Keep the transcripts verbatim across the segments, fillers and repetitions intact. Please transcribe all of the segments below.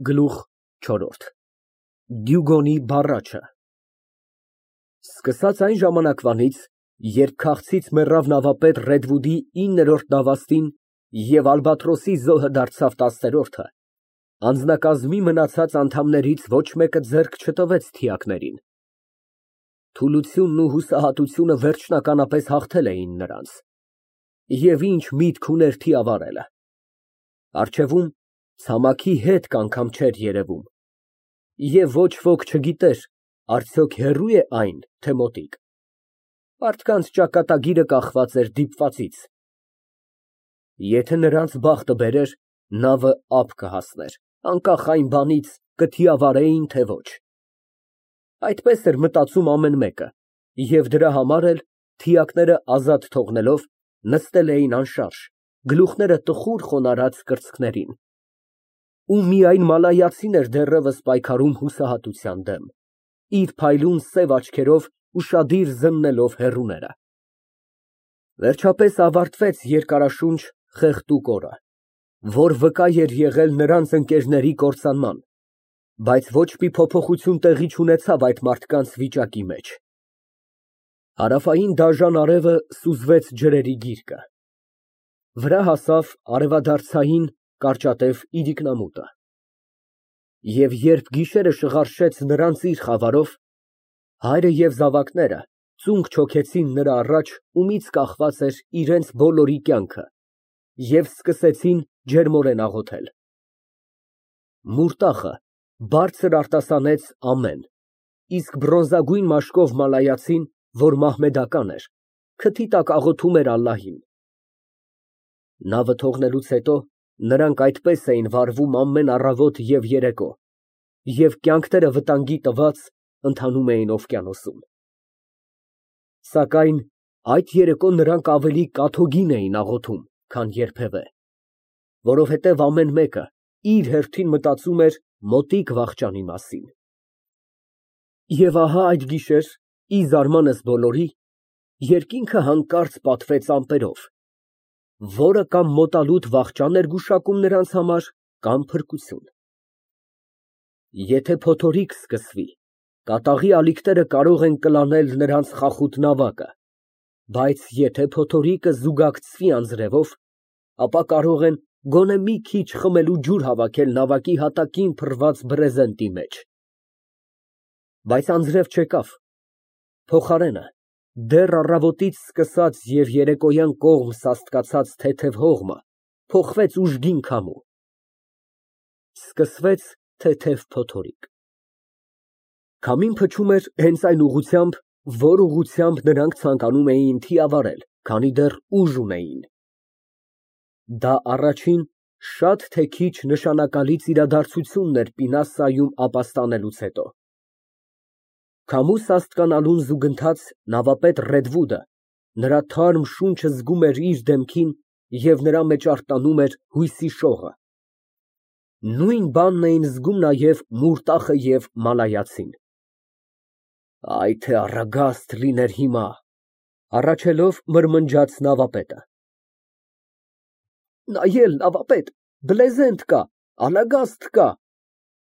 Գլուխ չորրորդ ԴՈՒԳՈՆԻ բառաչը Սկսած այն ժամանակվանից, երբ քաղցից մեռավ նավապետ Ռեդվուդի իններորդ դավաստին և Ալբատրոսի զոհը դարձավ տասներորդը, անձնակազմի մնացած անդամներից ոչ մեկը ձեռք չտվեց թիակներին։ Թուլությունն ու հուսահատությունը վերջնականապես հաղթել էին նրանց, և ինչ միտք ուներ թիավարելը։ Առջևում ցամաքի հետք անգամ չէր երևում, և ոչ ոք չգիտեր արդյոք հեռո՞ւ է այն, թե մոտիկ։ Մարդկանց ճակատագիրը կախված էր դիպվածից։ Եթե նրանց բախտը բերեր, նավը ափ կհասներ, անկախ այն բանից կթիավարեին, թե ոչ։ Այդպես էր մտածում ամեն մեկը, և դրա համար էլ, թիակները ազատ թողնելով, նստել էին անշարժ, գլուխները տխուր խոնարհած կրծքներին։ Ու միայն մալայացին էր դեռևս պայքարում հուսահատության դեմ, իր փայլուն սև աչքերով ուշադիր զննելով հեռուները։ Վերջապես ավարտվեց երկարաշունչ, խեղդուկ օրը, որ վկա էր եղել նրանց ընկերների կործանման, բայց ոչ մի փոփոխություն տեղի չունեցավ այդ մարդկանց վիճակի մեջ։ Հարավային դաժան արևը սուզվեց ջրերի գիրկը, վրա հասավ արևադարձային կարճատև իրիկնամուտը, և երբ գիշերը շղարշեց նրանց իր խավարով, հայրը և զավակները ծունկ չոքեցին նրա առաջ, ումից կախված էր իրենց բոլորի կյանքը, և սկսեցին ջերմորեն աղոթել։ Մուրտախը բարձր արտասանեց ամեն, իսկ բրոնզագույն մաշկով մալայացին, որ մահմեդական էր, քթի տակ աղոթում էր ալլահին։ Նավը թողնելուց հետո նրանք այդպես էին վարվում ամեն առավոտ և երեկո, և կյանքները վտանգի տված, ընթանում էին օվկիանոսում։ Սակայն այդ երեկո նրանք ավելի կաթոգին էին աղոթում, քան երբևէ, որովհետև ամեն մեկը իր հերթին մտածում էր մոտիկ վախճանի մասին։ Եվ ահա այդ գիշեր, ի զարմանս բոլորի, երկինքը հանկարծ պատվեց ամպերով, որը կամ մոտալուտ վախճան էր գուշակում նրանց համար, կամ փրկություն։ Եթե փոթորիկ սկսվի, կատաղի ալիքները կարող են կլանել նրանց խախուտ նավակը, բայց եթե փոթորիկը զուգակցվի անձրևով, ապա կարող են գոնե մի քիչ խմելու ջուր հավաքել նավակի հատակին փռված բրեզենտի մեջ։ Բայց անձրև չեկավ, փոխարենը, դեռ առավոտից սկսած և երեկոյան կողմ սաստկացած թեթև հողմը փոխվեց ուժգին քամու։ Սկսվեց թեթև փոթորիկ։ Քամին փչում էր հենց այն ուղղությամբ, որ ուղղությամբ նրանք ցանկանում էին թիավարել, քանի դեռ ուժ ունեին։ Դա առաջին, շատ թե քիչ նշանակալից իրադարձությունն էր Պինասայում ապաստանելուց հետո։ Քամու սաստկանալուն զուգընթաց նավապետ Ռեդվուդը նրա թարմ շունչը զգում էր իր դեմքին և նրա մեջ արտանում էր հույսի շողը։ Նույն բանն էին զգում նաև Մուրտախը և մալայացին։ Այ թե առագաստ լիներ հիմա, հառաչելով մրմնջաց նավապետը։ Նայել, նավապետ, բլեզենտ կա, ալագաստ կա,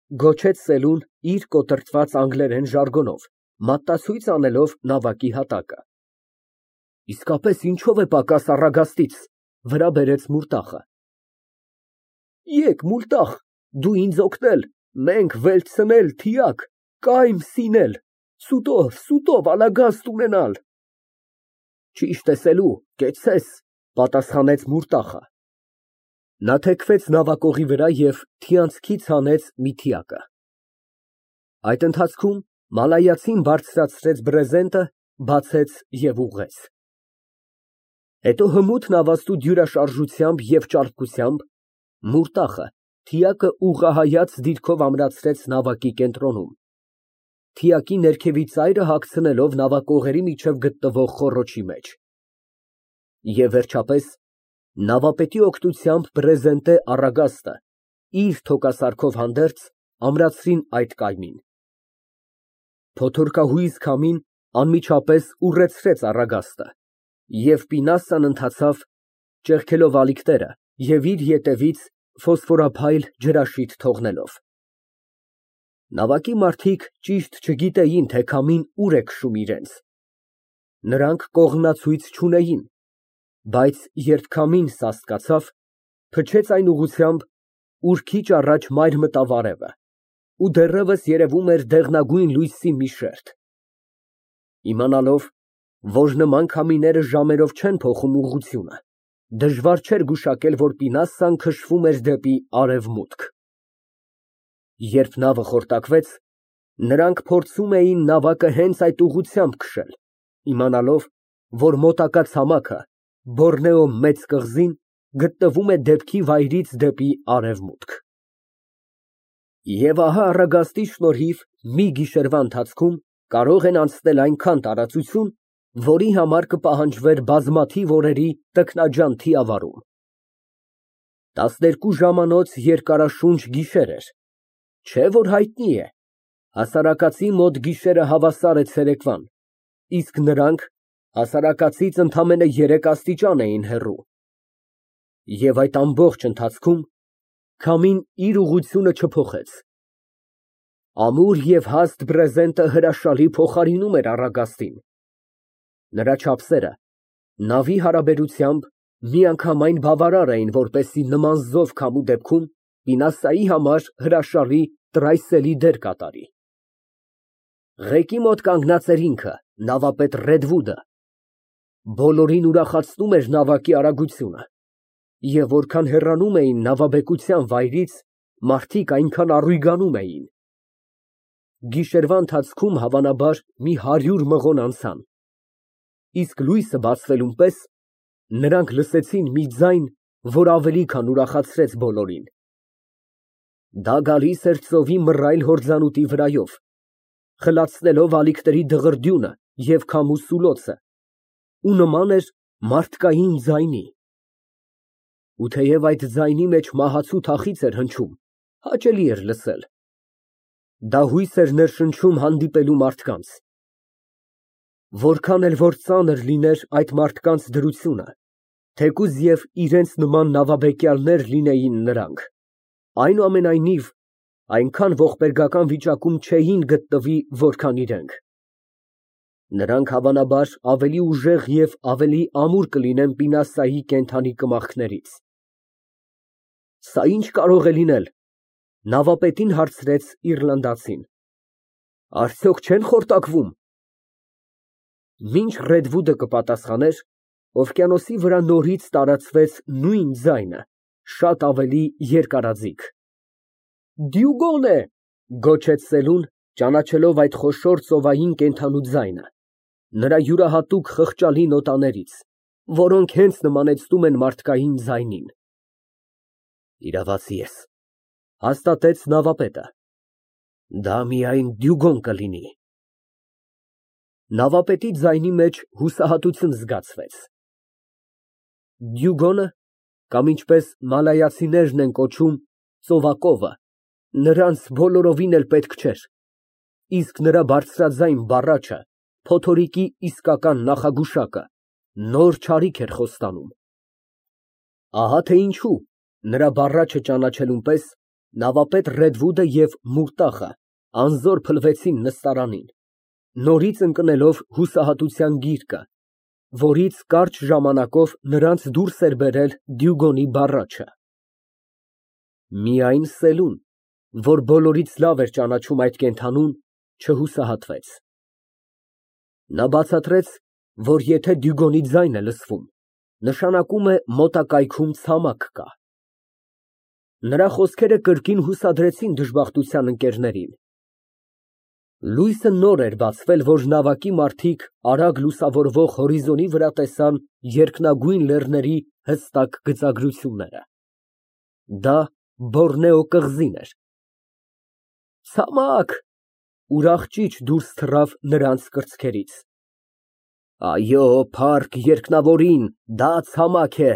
գոչեց Սելուն իր կոտրտված անգլերեն ժարգոնով, մատտացույց անելով նավակի հատակը։ Իսկապես ինչո՞վ է պակաս առագաստից, վրա բերեց Մուրտախը։ Եկ, Մուրտախ, դու ինձ օգնել, մենք վերցնել թիակ, կայմ սինել, սուտով, սուտով ալագաստ ունենալ։ Ճիշտ է, Սելու, կեցցես, պատասխանեց Մուրտախը։ Նա թեքվեց նավակողի վրա և թիանցքից հանեց մի թիակը։ Այդ ընթացքում մալայացին բարձրացրեց բրեզենտը, բացեց և ուղղեց։ Հետո հմուտ նավաստու դյուրաշարժությամբ և ճարպկությամբ Մուրտախը թիակը ուղղահայաց դիրքով ամրացրեց նավակի կենտրոնում, թիակի ներքևի ծայրը հագցնելով նավակողերի միջև գտնվող խոռոչի մեջ։ Եվ վերջապես նավապետի օգնությամբ բրեզենտե առագաստը, իր թոկասարքով հանդերձ, ամրացրին այդ կայմին։ Փոթորկահույզ քամին անմիջապես ուռեցրեց առագաստը, և Պինասան ընթացավ, ճեղքելով ալիքները և իր ետևից ֆոսֆորափայլ ջրաշիթ թողնելով։ Նավակի մարդիկ ճիշտ չգիտեին, թե քամին ուր է քշում իրենց. նրանք կողմնացույց չունեին, բայց երբ քամին սաստկացավ, փչեց այն ուղղությամբ, ուր քիչ առաջ մայր մտավ արևը, ու դեռևս երևում էր դեղնագույն լույսի մի շերտ։ Իմանալով, որ նման քամիները ժամերով չեն փոխում ուղղությունը, դժվար չէր գուշակել, որ Պինասսան քշվում էր դեպի արևմուտք։ Երբ նավը խորտակվեց, նրանք փորձում էին նավակը հենց այդ ուղղությամբ քշել, իմանալով, որ մոտակա ցամաքը, Բոռնեո մեծ կղզին, գտնվում է դեպքի վայրից դեպի արևմուտք։ Եվ ահա առագաստի շնորհիվ մի գիշերվա ընթացքում կարող են անցնել այնքան տարածություն, որի համար կպահանջվեր բազմաթիվ օրերի տքնաջան թիավարում։ Տասներկու ժամանոց երկարաշունչ գիշեր էր, չէ՞ որ հայտնի է, հասարակածի մոտ գիշերը հավասար է ցերեկվան, իսկ նրանք հասարակածից ընդամենը երեք աստիճան էին հեռու։ Եվ այդ ամբողջ ընթացքում քամին իր ուղղությունը չփոխեց։ Ամուր և հաստ բրեզենտը հրաշալի փոխարինում էր առագաստին։ Նրա չափսերը նավի հարաբերությամբ միանգամայն բավարար էին, որպեսզի նման զով քամու դեպքում Պինասսայի համար հրաշալի տրայսելի դեր կատարի։ Ղեկի մոտ կանգնած էր ինքը, նավապետ Ռեդվուդը։ Բոլորին ուրախացնում էր նավակի արագությունը, և որքան հեռանում էին նավաբեկության վայրից, մարդիկ այնքան առույգանում էին։ Գիշերվա ընթացքում հավանաբար մի հարյուր մղոն անցան, իսկ լույսը բացվելուն պես նրանք լսեցին մի ձայն, որ ավելի քան ուրախացրեց բոլորին։ Դա գալիս էր ծովի մռայլ հորձանուտի վրայով, խլացնելով ալիքների դղրդյունը և քամու սուլոցը, ու նման էր մարդկային ձայնի։ Ու թեև այդ ձայնի մեջ մահացու թախիծ էր հնչում, հաճելի էր լսել։ Դա հույս էր ներշնչում հանդիպելու մարդկանց։ Որքան էլ որ ծանր լիներ այդ մարդկանց դրությունը, թեկուզ և իրենց նման նավաբեկյալներ լինեին նրանք, այնուամենայնիվ այնքան ողբերգական վիճակում չէին գտնվի, որքան իրենք։ Նրանք հավանաբար ավելի ուժեղ և ավելի ամուր կլինեն Պինասսայի կենդանի կմախքներից։ Սա ի՞նչ կարող է լինել, նավապետին հարցրեց իռլանդացին։ Արդյոք չեն խորտակվում։ Մինչ Ռեդվուդը կպատասխաներ, օվկիանոսի վրա նորից տարածվեց նույն ձայնը, շատ ավելի երկարաձիգ։ Դյուգոն է, գոչեց Սելուն, ճանաչելով այդ խոշոր ծովային կենդանու ձայնը, նրա յուրահատուկ խղճալի նոտաներից, որոնք հենց նմանեցնում են մարդկային ձայնին։ Իրավացի ես, հաստատեց նավապետը։ Դա միայն Դյուգոն կլինի։ Նավապետի ձայնի մեջ հուսահատություն զգացվեց։ Դյուգոնը, կամ ինչպես մալայացիներն են կոչում, ծովակովը, նրանց բոլորովին էլ պետք չէր, իսկ նրա բարձրաձայն բառաչը, փոթորիկի իսկական նախագուշակը, նոր չարիք էր խոստանում։ Ահա թե ինչու, նրա բառաչը ճանաչելուն պես, նավապետ Ռեդվուդը և Մուրտախը անզոր փլվեցին նստարանին, նորից ընկնելով հուսահատության գիրկը, որից կարճ ժամանակով նրանց դուրս էր բերել Դյուգոնի բառաչը։ Միայն Սելուն, որ բոլորից լավ էր ճանաչում այդ կենդանուն, չհուսահատվեց։ Նա բացատրեց, որ եթե Դյուգոնի ձայն է լսվում, նշանակում է մոտակայքում ցամաք կա։ Նրա խոսքերը կրկին հուսադրեցին դժբախտության ընկերներին։ Լույսը նոր էր բացվել, որ նավակի մարդիկ արագ լուսավորվող հորիզոնի վրա տեսան երկնագույն լեռների հստակ գծագրությունները։ Դա Բոռնեո կղզին էր։ Ցամաք, ուրախ ճիչ դուրս թռավ նրանց կրծքերից։ Այո, փառք երկնավորին, դա ցամաք է,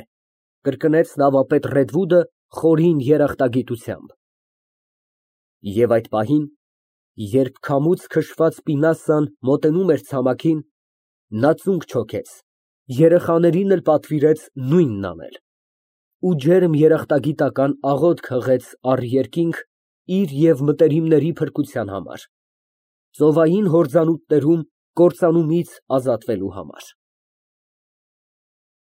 կրկնեց նավապետ Ռեդվուդը խորին երախտագիտությամբ։ Եվ այդ պահին, երբ քամուց քշված Պինասսան մոտենում էր ցամաքին, նա ծունկ չոքեց, երեխաներին էլ պատվիրեց նույնն անել, ու ջերմ երախտագիտական աղոթք հղեց առ երկինք, իր և մտերիմների փրկության համար, ծովային հորձանուտներում կործանումից ազատվելու համար։